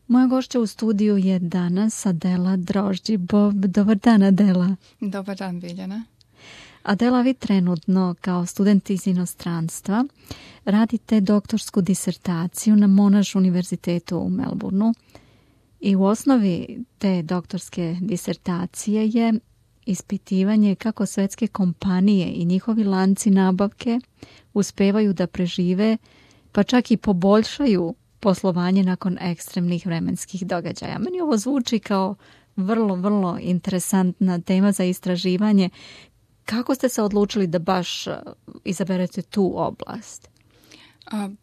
Moja gošća u studiju je danas Adela Drožđi-Bob. Dobar dan, Adela. Dobar dan, Biljana. Adela, vi trenutno kao student iz inostranstva radite doktorsku disertaciju na Monash univerzitetu u Melbourneu i u osnovi te doktorske disertacije je ispitivanje kako svetske kompanije i njihovi lanci nabavke uspevaju da prežive, pa čak i poboljšaju poslovanje nakon ekstremnih vremenskih događaja. Meni ovo zvuči kao vrlo interesantna tema za istraživanje. Kako ste se odlučili da baš izaberete tu oblast?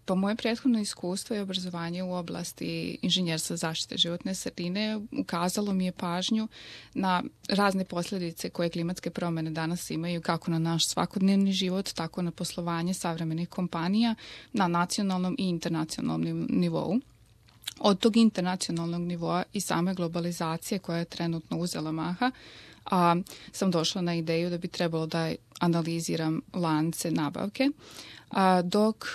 Pa moje prethodno iskustvo i obrazovanje u oblasti inženjerstva zaštite životne sredine ukazalo mi je pažnju na razne posljedice koje klimatske promjene danas imaju kako na naš svakodnevni život, tako na poslovanje savremenih kompanija na nacionalnom i internacionalnom nivou. Od tog internacionalnog nivoa i same globalizacije koja je trenutno uzela maha, sam došla na ideju da bi trebalo da analiziram lance nabavke, dok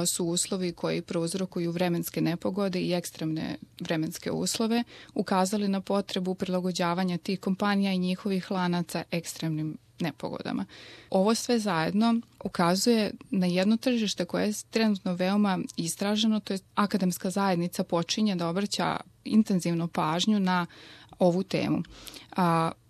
su uslovi koji prouzrokuju vremenske nepogode i ekstremne vremenske uslove ukazali na potrebu prilagođavanja tih kompanija i njihovih lanaca ekstremnim nepogodama. Ovo sve zajedno ukazuje na jedno tržište koje je trenutno veoma istraženo, to je akademska zajednica počinje da obraća intenzivno pažnju na ovu temu.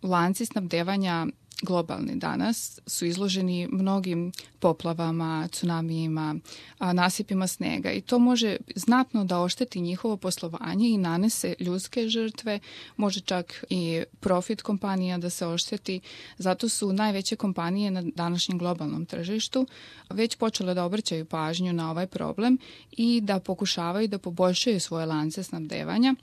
Lanci snabdevanja globalni danas su izloženi mnogim poplavama, tsunamijima, nasipima snega i to može znatno da ošteti njihovo poslovanje i nanese ljudske žrtve, može čak i profit kompanija da se ošteti. Zato su najveće kompanije na današnjem globalnom tržištu već počele da obraćaju pažnju na ovaj problem i da pokušavaju da poboljšaju svoje lance snabdevanja,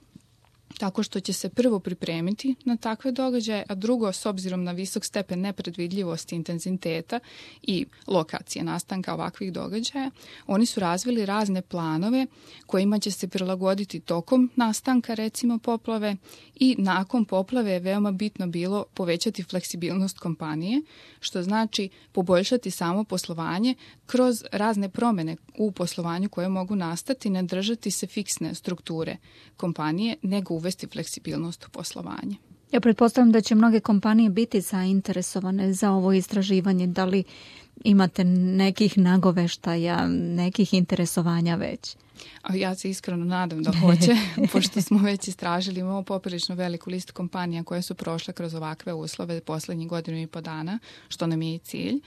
tako što će se prvo pripremiti na takve događaje, a drugo, s obzirom na visok stepen nepredvidljivosti, intenziteta i lokacije nastanka ovakvih događaja, oni su razvili razne planove kojima će se prilagoditi tokom nastanka, recimo poplave, i nakon poplave je veoma bitno bilo povećati fleksibilnost kompanije, što znači poboljšati samo poslovanje kroz razne promjene u poslovanju koje mogu nastati, ne držati se fiksne strukture kompanije, nego uvesti fleksibilnost u poslovanje. Ja pretpostavljam da će mnoge kompanije biti zainteresovane za ovo istraživanje. Da li imate nekih nagoveštaja, nekih interesovanja već? Ja se iskreno nadam da hoće, pošto smo već istražili, imamo poprilično veliku listu kompanija koje su prošle kroz ovakve uslove posljednjih 1,5 dana, što nam je i cilj.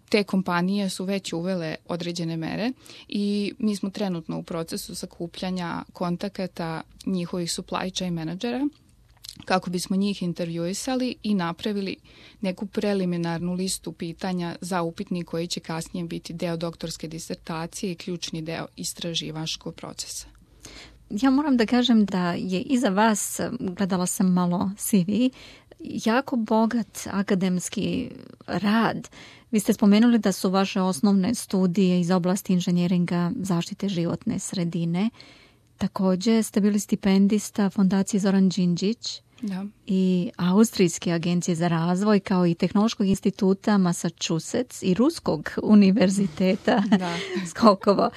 Te kompanije su već uvele određene mere i mi smo trenutno u procesu sakupljanja kontakata njihovih supply chain menadžera kako bismo njih intervjuisali i napravili neku preliminarnu listu pitanja za upitnik koji će kasnije biti deo doktorske disertacije i ključni deo istraživačkog procesa. Ja moram da kažem da je iza vas, gledala sam malo CV, jako bogat akademski rad. Vi ste spomenuli da su vaše osnovne studije iz oblasti inženjeringa zaštite životne sredine. Također ste bili stipendista Fondacije Zoran Đinđić i Austrijske agencije za razvoj, kao i Tehnološkog instituta Massachusetts i Ruskog univerziteta Skolkovo.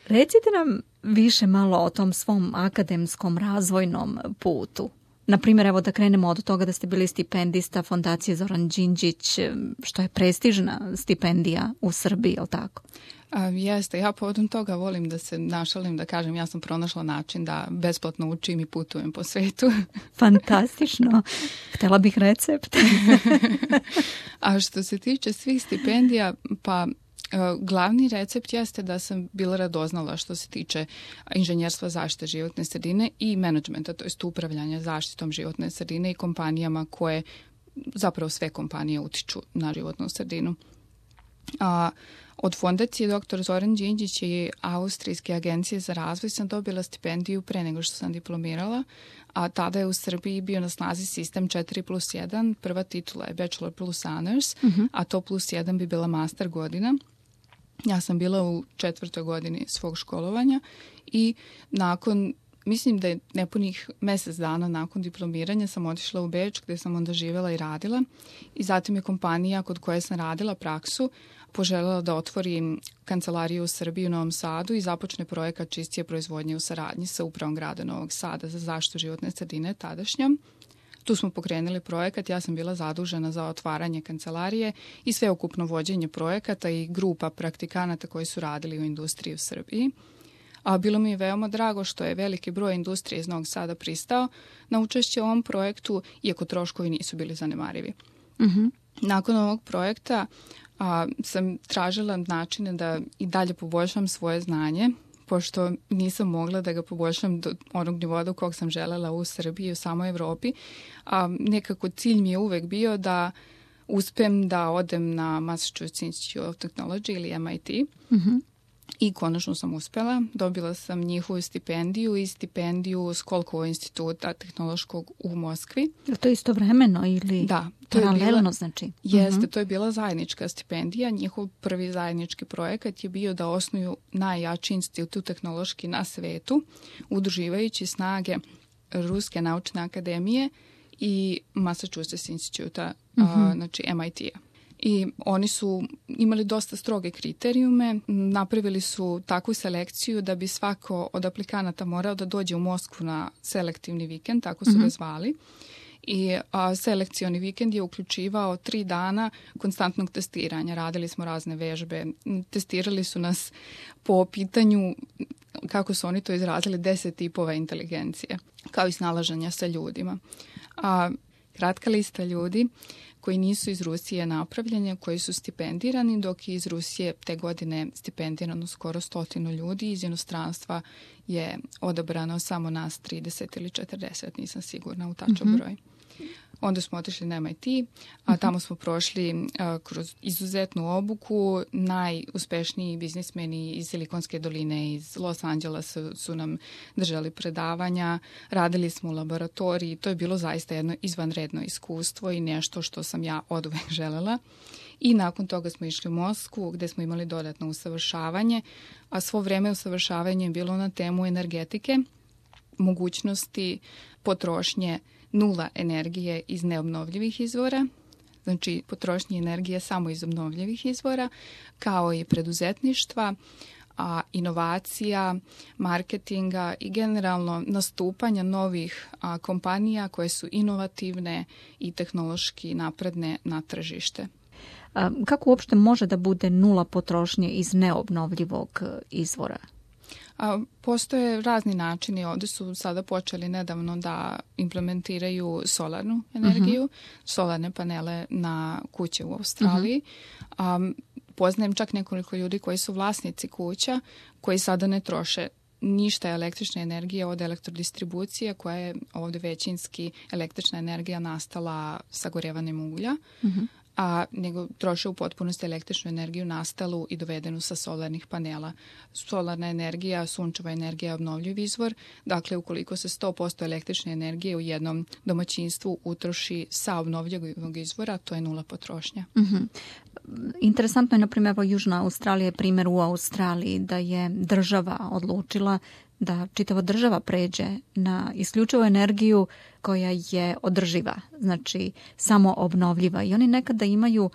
Recite nam više malo o tom svom akademskom razvojnom putu. Naprimjer, evo da krenemo od toga da ste bili stipendista Fondacije Zoran Đinđić, što je prestižna stipendija u Srbiji, je li tako? Jeste, ja povodom toga volim da se našalim, da kažem ja sam pronašla način da besplatno učim i putujem po svetu. Fantastično. Htjela bih recept. A što se tiče svih stipendija, pa glavni recept jeste da sam bila radoznala što se tiče inženjerstva zaštite životne sredine i menadžmenta, to jest upravljanja zaštitom životne sredine i kompanijama koje, zapravo sve kompanije utiču na životnu sredinu. Od fondacije dr. Zoran Đinđić i Austrijske agencije za razvoj sam dobila stipendiju pre nego što sam diplomirala, a tada je u Srbiji bio na snazi sistem 4+1, prva titula je Bachelor plus Honors, a to +1 bi bila master godina. Ja sam bila u 4. godini svog školovanja i nakon mislim da je nepunih mjesec dana nakon diplomiranja sam otišla u Beč gdje sam onda živjela i radila i zatim je kompanija kod koje sam radila praksu poželjela da otvori kancelariju u Srbiji u Novom Sadu i započne projekat čistije proizvodnje u saradnji sa upravom grada Novog Sada za zaštitu životne sredine tadašnjom. Tu smo pokrenuli projekat, ja sam bila zadužena za otvaranje kancelarije i sveukupno vođenje projekata i grupa praktikanata koji su radili u industriji u Srbiji. A bilo mi je veoma drago što je veliki broj industrije iz Novog Sada pristao na učešće u ovom projektu, iako troškovi nisu bili zanemarivi. Nakon ovog projekta sam tražila načine da i dalje poboljšam svoje znanje, pošto nisam mogla da ga poboljšam do onog nivoa do kog sam želela u Srbiji i u samoj Evropi. Nekako cilj mi je uvek bio da uspem da odem na Massachusetts Institute of Technology ili MIT. I konačno sam uspjela. Dobila sam njihovu stipendiju i stipendiju Skolkovo instituta tehnološkog u Moskvi. Je to istovremeno ili da, paralelno znači? Jeste, to je bila zajednička stipendija. Njihov prvi zajednički projekat je bio da osnuju najjači institut tehnološki na svetu, udruživajući snage Ruske naučne akademije i Massachusetts instituta, znači MIT-a. I oni su imali dosta stroge kriterijume, napravili su takvu selekciju da bi svako od aplikanata morao da dođe u Moskvu na selektivni vikend, tako su ga zvali. I selekcioni vikend je uključivao 3 dana konstantnog testiranja. Radili smo razne vežbe, testirali su nas po pitanju, kako su oni to izrazili, 10 tipova inteligencije, kao i snalaženja sa ljudima. Kratka lista ljudi koji nisu iz Rusije napravljeni, koji su stipendirani, dok je iz Rusije te godine stipendirano skoro 100 ljudi. Iz inostranstva je odabrano samo nas 30 ili 40, nisam sigurna u tačan broj. Onda smo otišli na MIT, a tamo smo prošli kroz izuzetnu obuku. Najuspešniji biznismeni iz Silikonske doline, iz Los Angelesa su nam držali predavanja. Radili smo u laboratoriji. To je bilo zaista jedno izvanredno iskustvo i nešto što sam ja oduvek želela. I nakon toga smo išli u Moskvu gdje smo imali dodatno usavršavanje, a svo vrijeme usavršavanje je bilo na temu energetike, mogućnosti potrošnje nula energije iz neobnovljivih izvora, znači potrošnje energije samo iz obnovljivih izvora, kao i preduzetništva, inovacija, marketinga i generalno nastupanja novih kompanija koje su inovativne i tehnološki napredne na tržište. Kako uopšte može da bude nula potrošnje iz neobnovljivog izvora? Postoje razni načini. Ovdje su sada počeli nedavno da implementiraju solarnu energiju, solarne panele na kuće u Australiji. Poznajem čak nekoliko ljudi koji su vlasnici kuća, koji sada ne troše ništa električne energije od elektrodistribucije, koja je ovdje većinski električna energija nastala sagorjevanjem uglja, nego troše u potpunosti električnu energiju nastalu i dovedenu sa solarnih panela. Solarna energija, sunčeva energija je obnovljiv izvor. Dakle, ukoliko se 100% električne energije u jednom domaćinstvu utroši sa obnovljivog izvora, to je nula potrošnja. Interesantno je, na primjer, Južna Australija je primjer u Australiji da je država odlučila da čitava država pređe na isključivu energiju koja je održiva, znači samo obnovljiva. I oni nekada imaju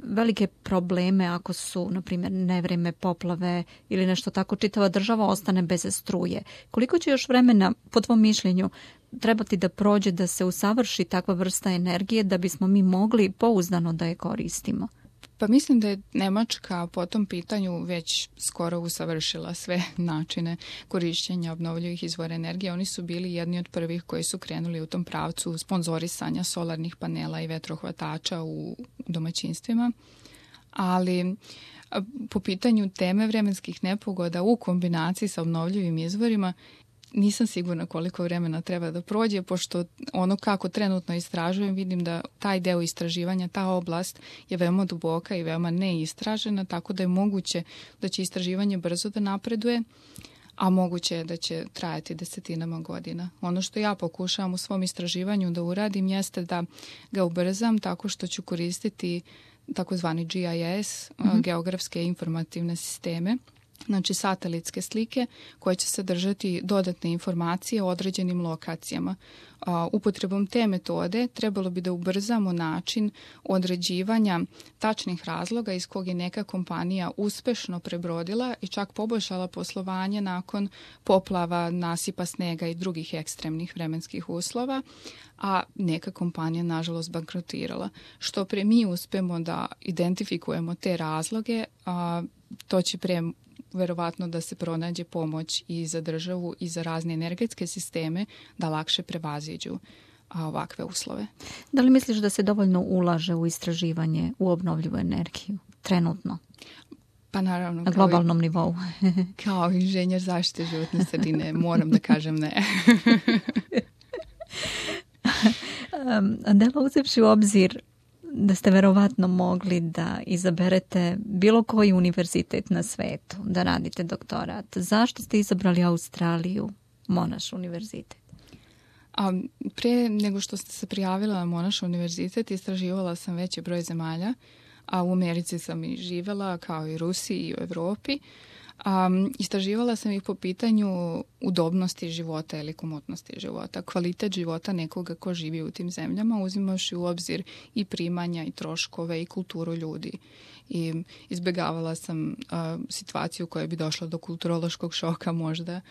velike probleme ako su, na primjer, nevrijeme, poplave ili nešto tako, čitava država ostane bez struje. Koliko će još vremena, po tvom mišljenju, trebati da prođe da se usavrši takva vrsta energije da bismo mi mogli pouzdano da je koristimo? Pa mislim da je Nemačka po tom pitanju već skoro usavršila sve načine korišćenja obnovljivih izvora energije. Oni su bili jedni od prvih koji su krenuli u tom pravcu sponzorisanja solarnih panela i vetrohvatača u domaćinstvima. Ali po pitanju teme vremenskih nepogoda u kombinaciji sa obnovljivim izvorima, nisam sigurna koliko vremena treba da prođe, pošto ono kako trenutno istražujem, vidim da taj deo istraživanja, ta oblast je veoma duboka i veoma neistražena, tako da je moguće da će istraživanje brzo da napreduje, a moguće je da će trajati desetinama godina. Ono što ja pokušavam u svom istraživanju da uradim jeste da ga ubrzam tako što ću koristiti takozvani GIS, geografske informativne sisteme, znači satelitske slike koje će sadržati dodatne informacije o određenim lokacijama. Upotrebom te metode trebalo bi da ubrzamo način određivanja tačnih razloga iz kog je neka kompanija uspešno prebrodila i čak poboljšala poslovanje nakon poplava, nasipa snega i drugih ekstremnih vremenskih uslova, a neka kompanija nažalost bankrotirala. Što pre mi uspemo da identifikujemo te razloge, to će pre verovatno da se pronađe pomoć i za državu i za razne energetske sisteme da lakše prevaziđu ovakve uslove. Da li misliš da se dovoljno ulaže u istraživanje u obnovljivu energiju trenutno? Pa naravno. Na globalnom nivou. Kao inženjer zaštite životne sredine moram da kažem ne. Adela, uzevši u obzir da ste verovatno mogli da izaberete bilo koji univerzitet na svetu da radite doktorat, zašto ste izabrali Australiju, Monash univerzitet? Pre nego što ste se prijavila na Monash univerzitet, istraživala sam veći broj zemalja, a u Americi sam i živela, kao i Rusiji i u Evropi. Istraživala sam ih po pitanju udobnosti života ili komotnosti života, kvalitet života nekoga ko živi u tim zemljama, uzimaš u obzir i primanja i troškove i kulturu ljudi. I izbegavala sam situaciju koja bi došla do kulturološkog šoka možda.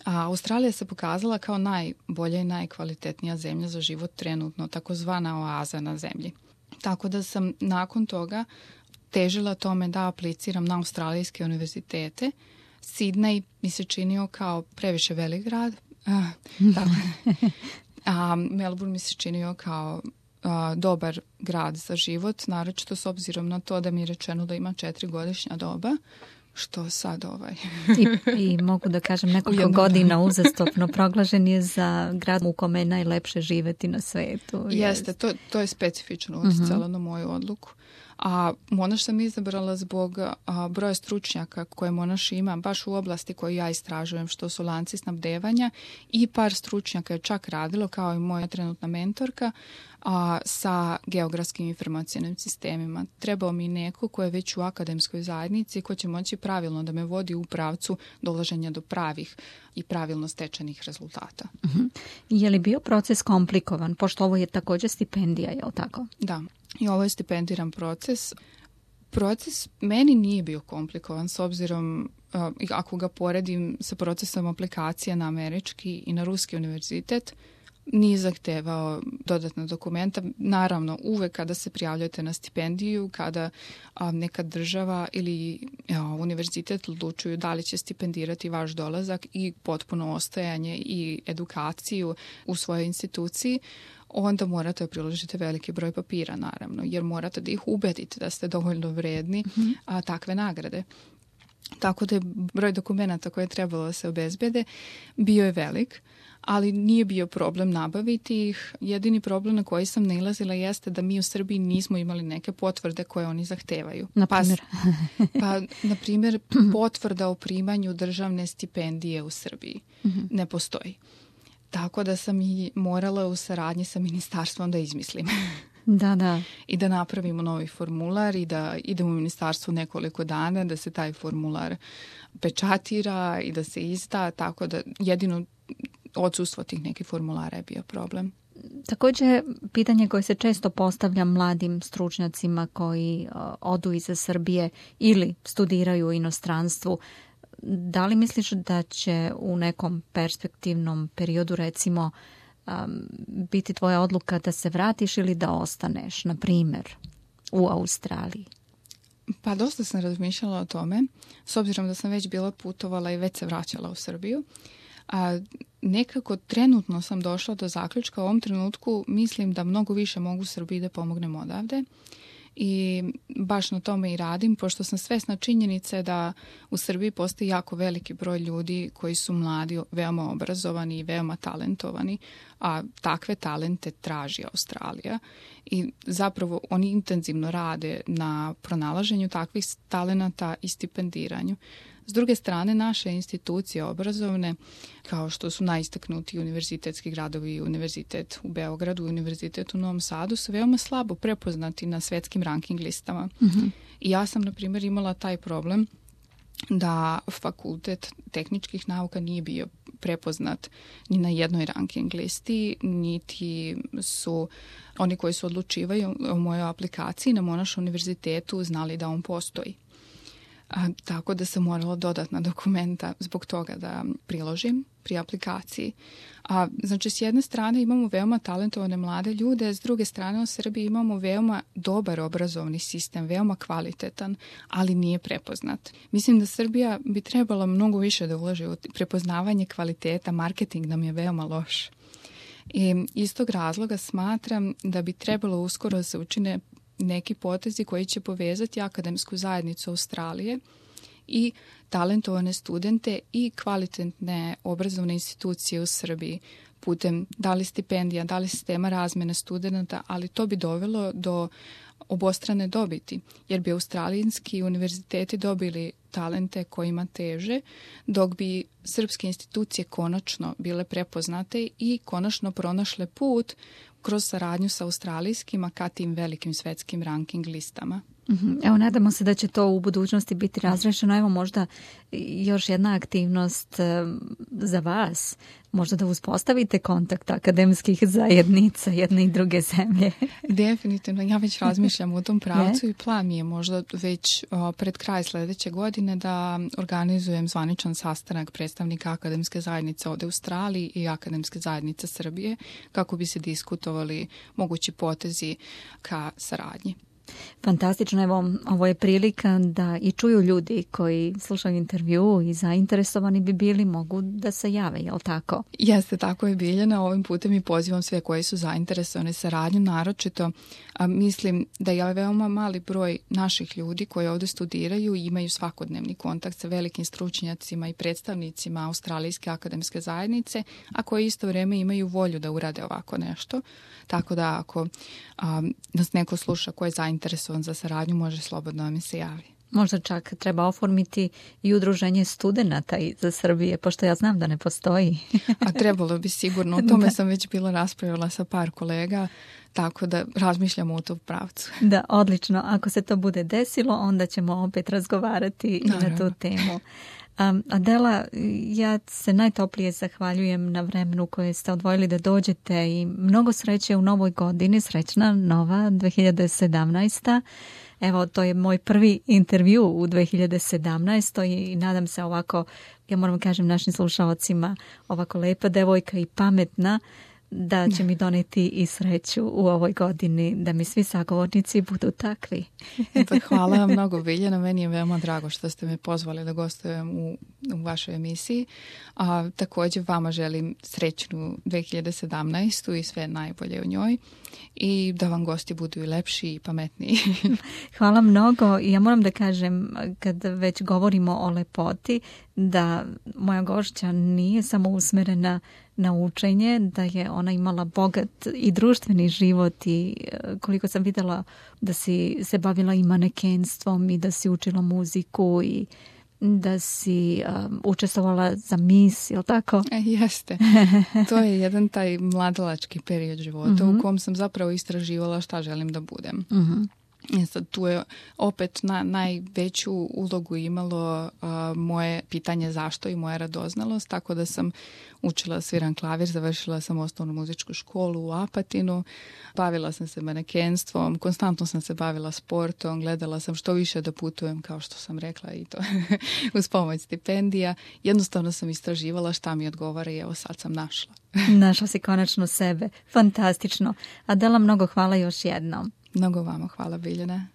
A Australija se pokazala kao najbolja i najkvalitetnija zemlja za život trenutno, takozvana oaza na zemlji. Tako da sam nakon toga težila tome da apliciram na australijske univerzitete. Sydney mi se činio kao previše velik grad. A Melbourne mi se činio kao dobar grad za život, naročito s obzirom na to da mi je rečeno da ima 4-godišnja doba, što sad I mogu da kažem nekoliko godina uzastopno proglašen je za grad u kome je najlepše živeti na svetu. Jeste, to je specifično uticalo na moju odluku. A Monash sam izabrala zbog broja stručnjaka koje Monash ima baš u oblasti koju ja istražujem, što su lanci snabdevanja, i par stručnjaka je čak radilo, kao i moja trenutna mentorka, sa geografskim informacionim sistemima. Trebao mi neko ko je već u akademskoj zajednici, ko će moći pravilno da me vodi u pravcu dolaženja do pravih i pravilno stečenih rezultata. Je li bio proces komplikovan, pošto ovo je također stipendija, je li tako? Da, i ovo je stipendiran proces. Proces meni nije bio komplikovan, s obzirom, ako ga poredim sa procesom aplikacije na američki i na ruski univerzitet, nije zahtevao dodatna dokumenta. Naravno, uvek kada se prijavljate na stipendiju, kada neka država ili univerzitet odlučuju da li će stipendirati vaš dolazak i potpuno ostajanje i edukaciju u svojoj instituciji, onda morate priložiti veliki broj papira, naravno, jer morate da ih ubedite da ste dovoljno vredni takve nagrade. Tako da je broj dokumenta koje je trebalo da se obezbede bio je velik, ali nije bio problem nabaviti ih. Jedini problem na koji sam nailazila jeste da mi u Srbiji nismo imali neke potvrde koje oni zahtevaju. Na primjer? Na primjer, potvrda o primanju državne stipendije u Srbiji ne postoji. Tako da sam i morala u saradnji sa ministarstvom da izmislim. Da. I da napravimo novi formular i da idemo u ministarstvu nekoliko dana, da se taj formular pečatira i da se izda, tako da jedino odsustvo tih nekih formulara je bio problem. Također, pitanje koje se često postavlja mladim stručnjacima koji odu iz Srbije ili studiraju u inostranstvu, da li misliš da će u nekom perspektivnom periodu, recimo, biti tvoja odluka da se vratiš ili da ostaneš, na primjer, u Australiji? Pa dosta sam razmišljala o tome, s obzirom da sam već bila putovala i već se vraćala u Srbiju. Nekako trenutno sam došla do zaključka, u ovom trenutku mislim da mnogo više mogu Srbiji da pomognem odavde. I baš na tome i radim, pošto sam svesna činjenice da u Srbiji postoji jako veliki broj ljudi koji su mladi, veoma obrazovani i veoma talentovani, a takve talente traži Australija. I zapravo oni intenzivno rade na pronalaženju takvih talenata i stipendiranju. S druge strane, naše institucije obrazovne, kao što su najistaknuti univerzitetski gradovi, univerzitet u Beogradu, univerzitet u Novom Sadu, su veoma slabo prepoznati na svetskim ranking listama. I ja sam, na primjer, imala taj problem da fakultet tehničkih nauka nije bio prepoznat ni na jednoj ranking listi, niti su oni koji su odlučivaju o mojoj aplikaciji na Monash univerzitetu znali da on postoji. Tako da sam morala dodatna dokumenta zbog toga da priložim pri aplikaciji. Znači, s jedne strane imamo veoma talentovane mlade ljude, s druge strane u Srbiji imamo veoma dobar obrazovni sistem, veoma kvalitetan, ali nije prepoznat. Mislim da Srbija bi trebala mnogo više da ulaže u prepoznavanje kvaliteta, marketing nam je veoma loš. I iz tog razloga smatram da bi trebalo uskoro se učine neki potezi koji će povezati akademsku zajednicu Australije i talentovane studente i kvalitetne obrazovne institucije u Srbiji putem da li stipendija, da li sistema razmene studenta, ali to bi dovelo do obostrane dobiti, jer bi australijski univerziteti dobili talente kojima teže, dok bi srpske institucije konačno bile prepoznate i konačno pronašle put kroz saradnju sa australijskima ka tim velikim svetskim ranking listama. Evo, nadamo se da će to u budućnosti biti razrešeno. Evo, možda još jedna aktivnost za vas. Možda da uspostavite kontakt akademskih zajednica jedne i druge zemlje. Definitivno. Ja već razmišljam u tom pravcu i plan mi je možda već pred kraj sljedeće godine da organizujem zvaničan sastanak predstavnika akademske zajednice ovdje u Australiji i akademske zajednice Srbije kako bi se diskutovali mogući potezi ka saradnji. Fantastično, evo, ovo je prilika da i čuju ljudi koji slušaju intervju i zainteresovani bi bili, mogu da se jave, je li tako? Jeste, tako je, Biljana. Ovim putem i pozivam sve koji su zainteresovani saradnju, naročito mislim da je veoma mali broj naših ljudi koji ovdje studiraju i imaju svakodnevni kontakt sa velikim stručnjacima i predstavnicima Australijske akademske zajednice, a koji isto vrijeme imaju volju da urade ovako nešto. Tako da ako nas neko sluša ko je zainteresovan za saradnju, može slobodno da mi se javi. Možda čak treba oformiti i udruženje studenata za Srbije, pošto ja znam da ne postoji. A trebalo bi sigurno. O tome sam već bila raspravila sa par kolega, tako da razmišljamo u tom pravcu. Da, odlično. Ako se to bude desilo, onda ćemo opet razgovarati i na tu temu. Adela, ja se najtoplije zahvaljujem na vremenu koje ste odvojili da dođete i mnogo sreće u novoj godini, srećna nova 2017. Evo, to je moj prvi intervju u 2017. i nadam se ovako, ja moram kažem našim slušalcima, ovako lepa devojka i pametna, da će mi doneti i sreću u ovoj godini, da mi svi sagovornici budu takvi. Hvala vam mnogo, Biljana. Meni je veoma drago što ste me pozvali da gostujem u vašoj emisiji. Također vama želim srećnu 2017. i sve najbolje u njoj i da vam gosti budu i lepši i pametniji. Hvala mnogo i ja moram da kažem, kad već govorimo o lepoti, da moja gošća nije samo usmerena na učenje, da je ona imala bogat i društveni život i koliko sam vidjela da si se bavila i manekenstvom i da si učila muziku i da si učestvovala za Miss, je li tako? Jeste. To je jedan taj mladalački period života u kom sam zapravo istraživala šta želim da budem. Sad, tu je opet najveću ulogu imalo moje pitanje zašto i moja radoznalost, tako da sam učila sviram klavir, završila sam osnovnu muzičku školu u Apatinu, bavila sam se manekenstvom, konstantno sam se bavila sportom, gledala sam što više da putujem, kao što sam rekla, i to uz pomoć stipendija. Jednostavno sam istraživala šta mi odgovara i evo sad sam našla. Našla si konačno sebe. Fantastično. Adela, mnogo hvala još jednom. Mnogo vama hvala, Biljana.